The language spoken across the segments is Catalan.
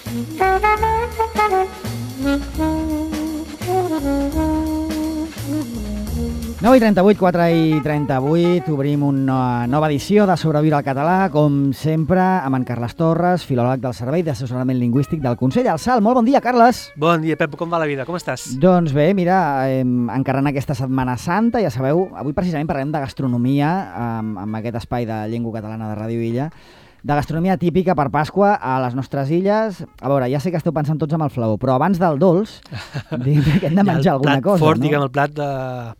(9:38, 4:38), obrim una nova edició de Sobreviure al català, com sempre, amb en Carles Torres, filòleg del Servei d'Assessorament Lingüístic del Consell Alsal. Molt bon dia, Carles! Bon dia, Pep, com va la vida? Com estàs? Doncs bé, mira, encarant aquesta Setmana Santa, ja sabeu, avui precisament parlem de gastronomia amb aquest espai de llengua catalana de Ràdio Illa, de gastronomia típica per Pasqua a les nostres illes. A veure, ja sé que esteu pensant tots amb el flaó, però abans del dolç, diguem que hem de menjar alguna cosa, fort, no? diguem, el plat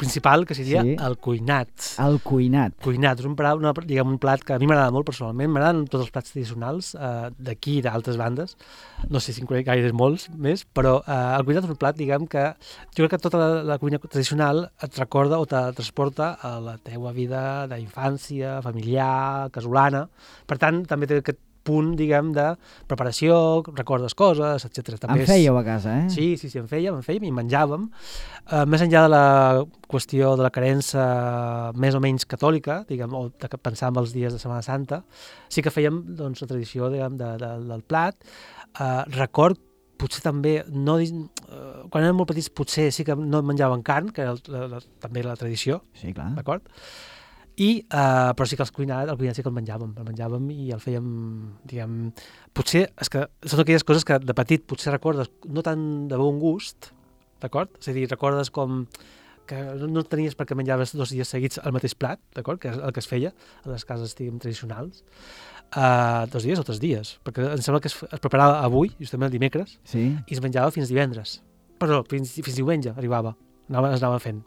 principal, que seria el cuinat. El cuinat. Cuinat, és un plat que a mi m'agrada molt personalment, m'agraden tots els plats tradicionals d'aquí i d'altres bandes, no sé si en conec gaires molts més, però el cuinat és un plat, diguem, que jo crec que tota la cuina tradicional et recorda o te transporta a la teua vida d'infància, familiar, casolana. Per tant, també té aquest punt, diguem, de preparació, recordes coses, etc. En fèieu a casa, eh? Sí, en fèiem i menjàvem. Més enllà de la qüestió de la creença més o menys catòlica, diguem, o de pensar en els dies de Setmana Santa, sí que fèiem, doncs, la tradició, diguem, del plat. Record, potser també, quan érem molt petits, potser sí que no menjàvem carn, que era també la tradició, sí, clar, d'acord? Però sí que el cuinat sí que el menjàvem i el fèiem, diguem, potser, és que són aquelles coses que de petit potser recordes no tan de bon gust, d'acord? És a dir, recordes com que no tenies perquè menjaves 2 dies seguits el mateix plat, d'acord? Que és el que es feia a les cases, diguem, tradicionals, 2 dies o 3 dies, perquè em sembla que es preparava avui, justament el dimecres, sí, i es menjava fins divendres. Perdó, fins diumenge arribava, es anava fent.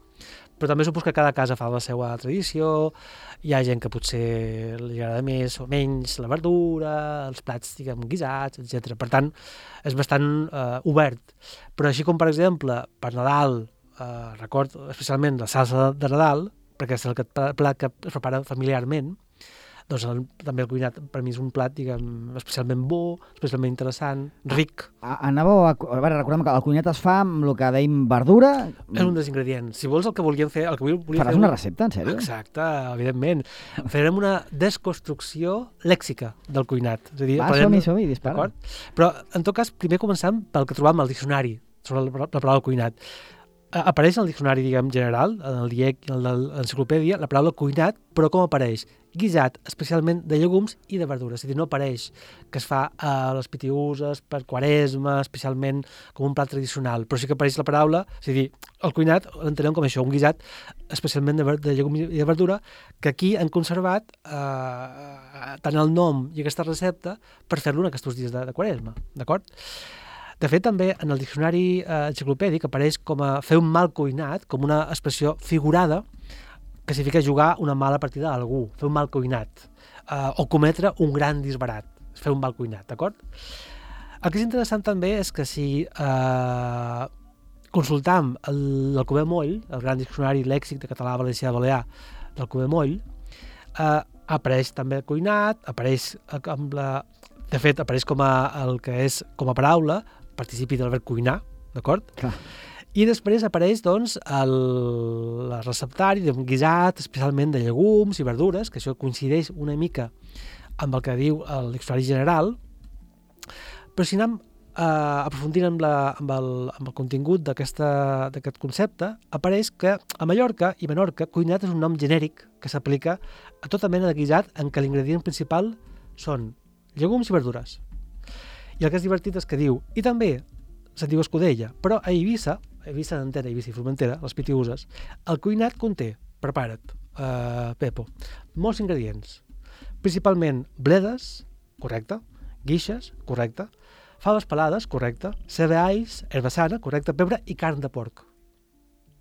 Però també supos que cada casa fa la seva tradició, hi ha gent que potser li agrada més o menys la verdura, els plats, diguem, guisats, etc. Per tant, és bastant obert. Però així com, per exemple, per Nadal, recordo especialment la salsa de Nadal, perquè és el plat que es prepara familiarment, doncs també el cuinat per mi és un plat, diguem, especialment bo, especialment interessant, ric. Recordem que el cuinat es fa amb el que dèiem verdura. És un dels ingredients. Si vols el que volíem fer... Faràs una recepta, en sèrio? Exacte, evidentment. Farem una desconstrucció lèxica del cuinat. És a dir, som-hi, dispara. Però, en tot cas, primer començam pel que trobam al diccionari sobre la paraula cuinat. Apareix en el diccionari, diguem, general, en el DIEC i en l'enciclopèdia, la paraula cuinat, però com apareix? Guisat, especialment de llegums i de verdures. És a dir, no apareix que es fa a les pitiüses, per Quaresma, especialment com un plat tradicional, però sí que apareix la paraula, és a dir, el cuinat l'entenem com això, un guisat especialment de llegums i de verdura, que aquí han conservat tant el nom i aquesta recepta per fer-lo en aquests dies de Quaresma, d'acord? De fet, també en el diccionari enciclopèdic apareix com a fer un mal cuinat, com una expressió figurada que significa jugar una mala partida a algú, fer un mal cuinat, o cometre un gran disbarat, fer un mal cuinat, d'acord? El que és interessant també és que si consultam l'Alcover Moll, el gran diccionari lèxic de català, valencià, balear del Alcover Moll, apareix també el cuinat, apareix amb la... De fet, apareix com a paraula, participi del verb cuinar, d'acord? Clar. I després apareix, doncs, el receptari d'un guisat, especialment de llegums i verdures, que això coincideix una mica amb el que diu el diccionari general, però si anem aprofundint amb el contingut d'aquest concepte, apareix que a Mallorca i Menorca cuinat és un nom genèric que s'aplica a tota mena de guisat en què l'ingredient principal són llegums i verdures. I el que és divertit és que diu, i també se'n diu escudella, però a Eivissa d'Antena, Eivissa i Formentera, les pitiüses, el cuinat conté, prepara't, Pepo, molts ingredients, principalment bledes, correcte, guixes, correcte, faves pelades, correcte, cereals, herba sana, correcte, pebre i carn de porc.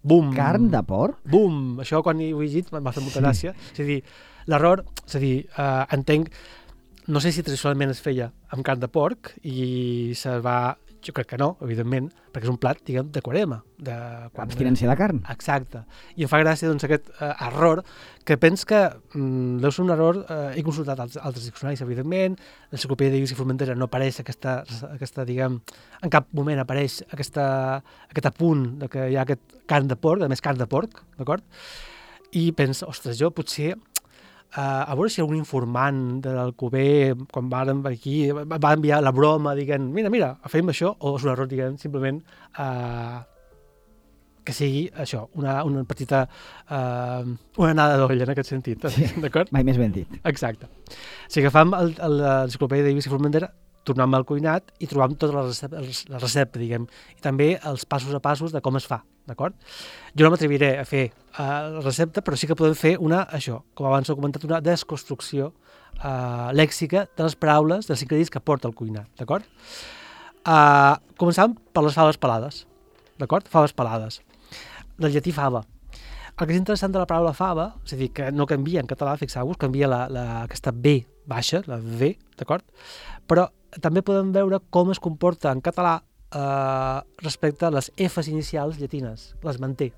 Bum! Carn de porc? Bum! Això quan ho he llegit m'ha fet molta gràcia. És a dir, l'error, entenc, no sé si tradicionalment es feia amb carn de porc i jo crec que no, evidentment, perquè és un plat, diguem, de Quaresma. Abstinència de carn. Exacte. I em fa gràcia, doncs, aquest error, que pens que deu ser un error, he consultat altres diccionaris, evidentment, l'enciclopèdia d'Eivissa i Formentera no apareix aquesta, diguem, en cap moment apareix aquest apunt de que hi ha aquest carn de porc, a més carn de porc, d'acord? I penso, ostres, jo potser a veure si un informant de l'Alcover, quan vàrem aquí, va enviar la broma, diguent, mira, fem això, o és un error, diguem, simplement que sigui això, una petita una anada d'olla en aquest sentit, d'acord? Mai més ben dit. Exacte. Si agafam l'enciclopèdia de Davis i Formentera, tornem al cuinat i trobam tota la recepta, diguem, i també els passos a passos de com es fa, d'acord? Jo no m'atreviré a fer la recepta, però sí que podem fer això, com abans he comentat, una desconstrucció lèxica de les paraules, dels ingredients que porta el cuinat, d'acord? Començàvem per les faves pelades, d'acord? Faves pelades. Del llatí fava. El que és interessant de la paraula fava, és a dir, que no canvia en català, fixeu-vos, canvia aquesta B baixa, la V, d'acord? Però també podem veure com es comporta en català respecte a les Fs inicials llatines, les manté.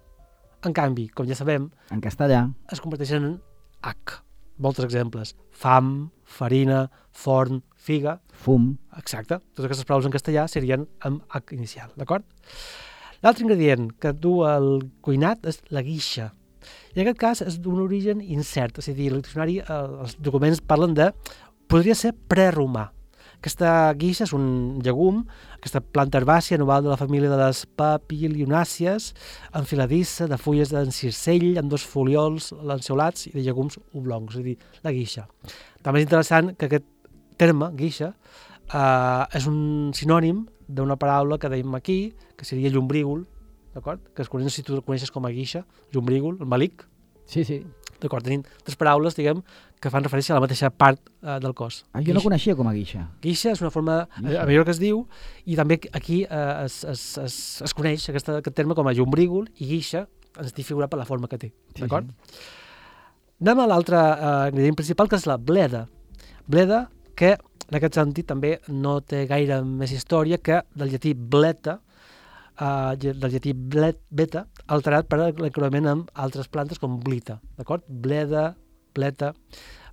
En canvi, com ja sabem, en castellà es converteixen en H. Molts exemples. Fam, farina, forn, figa. Fum. Exacte. Totes aquestes paraules en castellà serien amb H inicial, d'acord? L'altre ingredient que du el cuinat és la guixa. I en aquest cas és d'un origen incert, és a dir, el diccionari, els documents parlen de... podria ser preromà. Aquesta guixa és un llegum, aquesta planta herbàcia anual de la família de les papilionàcies, enfiladissa, de fulles d'encircell, amb 2 foliols lanceolats i de llegums oblongs, és a dir, la guixa. També és interessant que aquest terme, guixa, és un sinònim d'una paraula que dèiem aquí, que seria llombrígol, d'acord? Que es coneix, si tu el coneixes com a guixa, llombrígol, el malic. Sí, sí. D'acord, tenim 3 paraules, diguem, que fan referència a la mateixa part del cos. Jo no coneixia com a guixa. Guixa és una forma, a millor que es diu, i també aquí es coneix aquest terme com a llombrígol, i guixa ens té figurat per la forma que té, d'acord? Sí. Anem a l'altre ingredient principal, que és la bleda. Bleda, que en aquest sentit també no té gaire més història que del llatí bleta, del llatí beta, alterat per l'encreuament amb altres plantes com blita, d'acord? Bleda, bleta.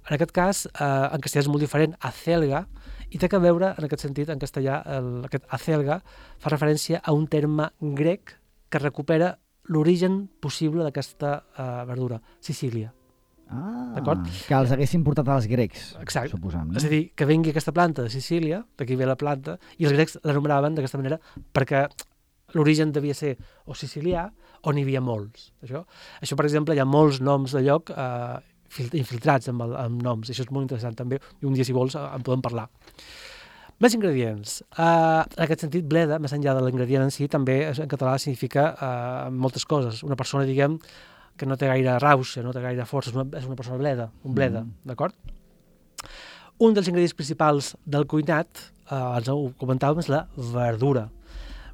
En aquest cas, en castellà és molt diferent, acelga, i té que veure, en aquest sentit, en castellà, aquest acelga fa referència a un terme grec que recupera l'origen possible d'aquesta verdura, Sicília. D'acord? Que els haguessin portat als grecs, exacte. Suposam. No? És a dir, que vengui aquesta planta de Sicília, d'aquí ve la planta, i els grecs l'anomenaven d'aquesta manera perquè l'origen devia ser o sicilià o n'hi havia molts. Això, per exemple, hi ha molts noms de lloc infiltrats amb noms, i això és molt interessant també, i un dia, si vols, en podem parlar. Més ingredients. En aquest sentit, bleda, més enllà de l'ingredient en si, també en català significa moltes coses. Una persona, diguem, que no té gaire rauxa, no té gaire força, és una persona bleda, un bleda, d'acord? Un dels ingredients principals del cuinat, ens ho comentàvem, és la verdura.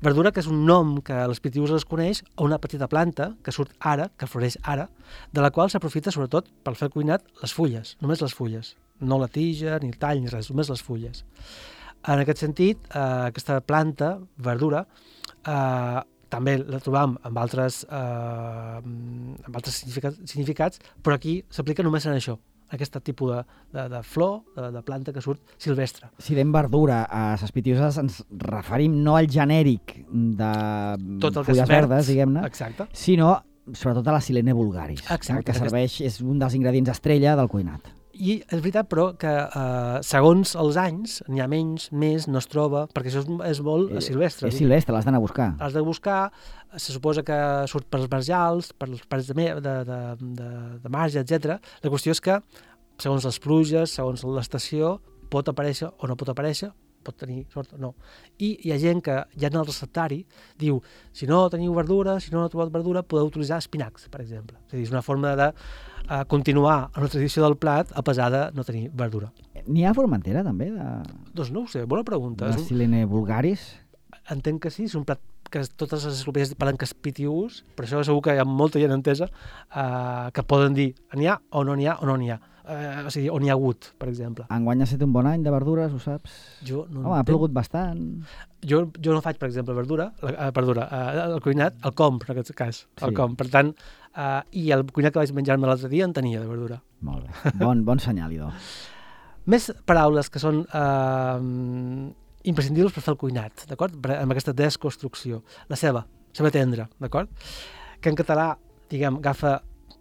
Verdura, que és un nom que a les pitius es coneix a una petita planta que surt ara, que floreix ara, de la qual s'aprofita sobretot per fer el cuinat les fulles, només les fulles, no la tija, ni el tall, ni res, només les fulles. En aquest sentit, aquesta planta, verdura, també la trobam amb altres significats, però aquí s'aplica només en això, aquest tipus de flor, de planta que surt silvestre. Si dèiem verdura a les pitiuses ens referim no al genèric de fulles verdes, diguem-ne, sinó sobretot a la Silene vulgaris, que serveix, és un dels ingredients estrella del cuinat. I és veritat, però, que segons els anys, n'hi ha menys, més, no es troba, perquè això és molt silvestre. És silvestre, l'has d'anar a buscar. L'has de buscar, se suposa que surt per els marjals, per les parets de marge, etc. La qüestió és que, segons les pluges, segons l'estació, pot aparèixer o no pot aparèixer, pot tenir sort o no. I hi ha gent que ja en el receptari diu, si no teniu verdura, si no heu trobat verdura, podeu utilitzar espinacs, per exemple. És a dir, és una forma de continuar en la tradició del plat a pesar de no tenir verdura. N'hi ha a Formentera, també? Doncs no ho sé, bona pregunta. La Silene vulgaris? Entenc que sí, és un plat que totes les enciclopèdies parlen que és pitiús, però això segur que hi ha molta gent entesa que poden dir n'hi ha o no n'hi ha o no n'hi ha. O sigui, on hi ha hagut, per exemple. Enguany ha estat un bon any de verdures, ho saps? Jo no ha plogut bastant. Jo no faig, per exemple, el cuinat, el compro, en aquest cas. El compro. Per tant, i el cuinat que vaig menjar-me l'altre dia en tenia de verdura. Molt bé. Bon senyal, idò. Més paraules que són imprescindibles per fer el cuinat, d'acord? Amb aquesta desconstrucció. La ceba tendra, d'acord? Que en català, diguem, agafa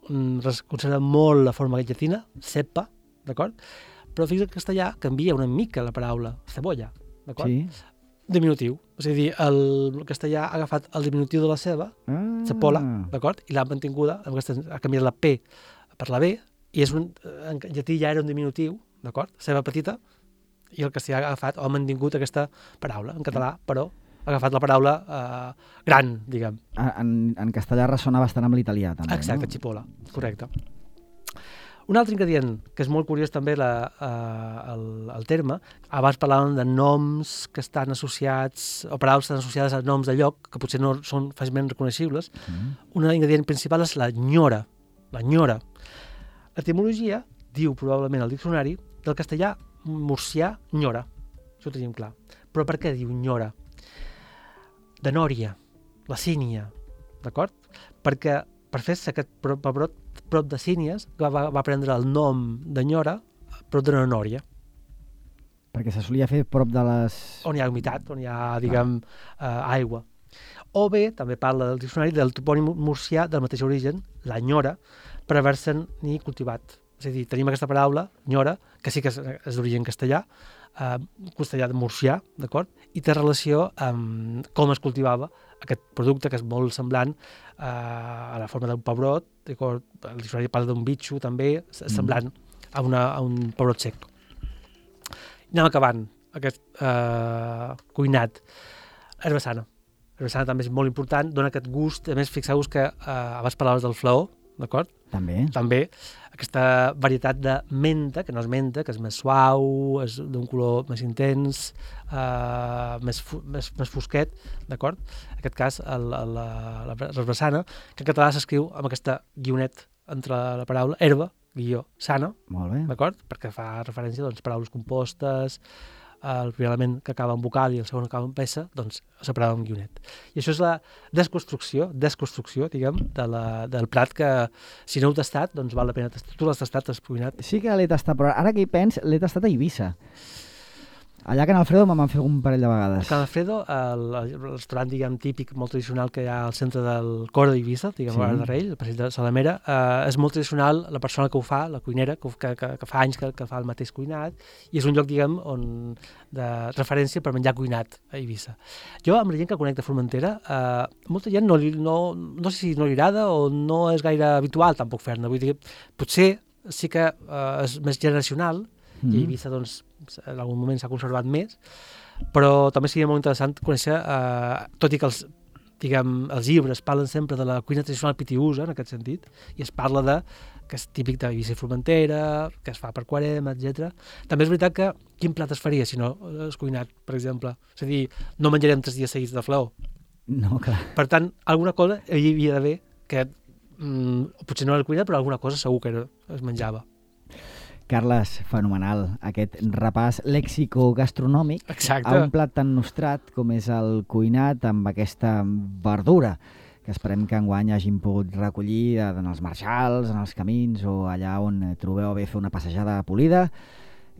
conserva molt la forma llatina, cepa, d'acord? Però fixa't que en castellà canvia una mica la paraula cebolla, d'acord? Sí. Diminutiu. És a dir, el castellà ha agafat el diminutiu de la ceba, cepola, d'acord? I l'ha mantinguda, ha canviat la P per la B, i en llatí ja era un diminutiu, d'acord? Ceba petita, i el castellà ha agafat o ha mantingut aquesta paraula. En català, però, ha agafat la paraula gran, diguem. En castellà ressona bastant amb l'italià, també. Exacte, no? xipola, correcte. Un altre ingredient, que és molt curiós també el terme, abans parlàvem de noms que estan associats, o paraules que estan associades a noms de lloc, que potser no són fàcilment reconeixibles. Un ingredient principal és la nyora. La nyora. L'etimologia diu probablement al diccionari del castellà murcià nyora. Això ho tenim clar. Però per què diu nyora? De nòria, la sínia, d'acord? Perquè per fer-se aquest pebrot prop de Sínies, va prendre el nom de Nyora prop d'una nòria. Perquè se solia fer prop de les... On hi ha humitat, on hi ha, diguem, aigua. O bé, també parla del diccionari del topònim murcià del mateix origen, la Nyora, per haver-se'n ni cultivat. És a dir, tenim aquesta paraula, Nyora, que sí que és d'origen castellà de murcià, d'acord? I té relació amb com es cultivava aquest producte, que és molt semblant a la forma d'un pebrot, d'acord? El diccionari parla d'un bitxo, també, semblant a un pebrot sec. I anem acabant aquest cuinat. Herba sana. Herba sana també és molt important, dona aquest gust. A més, fixeu-vos que abans parlaves del flaó, d'acord? També aquesta varietat de menta, que no és menta, que és més suau, és d'un color més intens, més fosquet, d'acord? En aquest cas, l'herbassana, que en català s'escriu amb aquesta guionet entre la paraula herba, guió, sana, d'acord? Perquè fa referència a paraules compostes, el primer element que acaba en vocal i el segon acaba en peça, doncs separada amb guionet. I això és la desconstrucció, diguem, del plat que, si no heu tastat, doncs val la pena tastar. Tu l'has tastat, has cuinat? Sí que l'he tastat, però ara que hi pens, l'he tastat a Eivissa. Allà a Can Alfredo me'n van fer un parell de vegades. Can Alfredo, el restaurant, diguem, típic, molt tradicional que hi ha al centre del cor d'Eivissa, diguem, a de Rei, el passeig de Salamera, és molt tradicional la persona que ho fa, la cuinera, que fa anys que fa el mateix cuinat, i és un lloc, diguem, de referència per menjar cuinat a Eivissa. Jo, amb la gent que conec de Formentera, molta gent no sé si no li agrada o no és gaire habitual tampoc fer-ne. Vull dir, potser sí que és més generacional, i a Eivissa, doncs, en algun moment s'ha conservat més, però també seria molt interessant conèixer, tot i que els llibres parlen sempre de la cuina tradicional pitiusa, en aquest sentit, i es parla que és típic d'Eivissa i Formentera, que es fa per Quaresma, etc. També és veritat que quin plat es faria si no és cuinat, per exemple? És a dir, no menjarem 3 dies seguits de flaó. No, clar. Per tant, alguna cosa hi havia d'haver que potser no era cuinat, però alguna cosa segur que es menjava. Carles, fenomenal, aquest repàs lèxico-gastronòmic a un plat tan nostrat com és el cuinat amb aquesta verdura que esperem que enguany hagin pogut recollir en els marxals, en els camins o allà on trobeu bé fer una passejada polida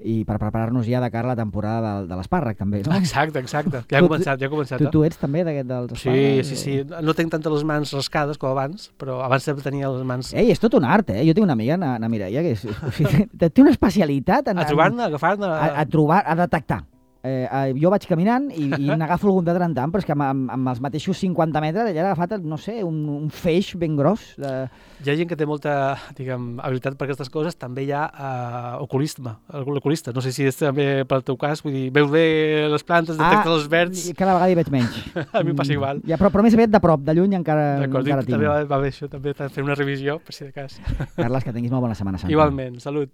i per preparar-nos ja de cara a la temporada de l'espàrrec, també, no? Exacte. Ja ha començat. Tu ets també dels espàrrecs? Sí. No tinc tantes les mans rascades com abans, però abans sempre tenia les mans... Ei, és tot un art, Jo tinc una amiga, na Mireia, que té una especialitat a trobar-ne, a agafar-ne... A trobar, a detectar. Jo vaig caminant i n'agafo algun de tant en tant, però és que amb els mateixos 50 metres ella ha agafat, no sé, un feix ben gros. Hi ha gent que té molta, diguem, habilitat per aquestes coses, també hi ha l'oculista. No sé si és també pel teu cas, vull dir, veus bé les plantes, detectes els verds... Cada vegada hi veig menys. A mi passa igual. Ja, però més aviat de prop, de lluny encara tinc. També va bé això, també fer una revisió, per si de cas. Carles, que tinguis molt bona Setmana Santa. Igualment, salut.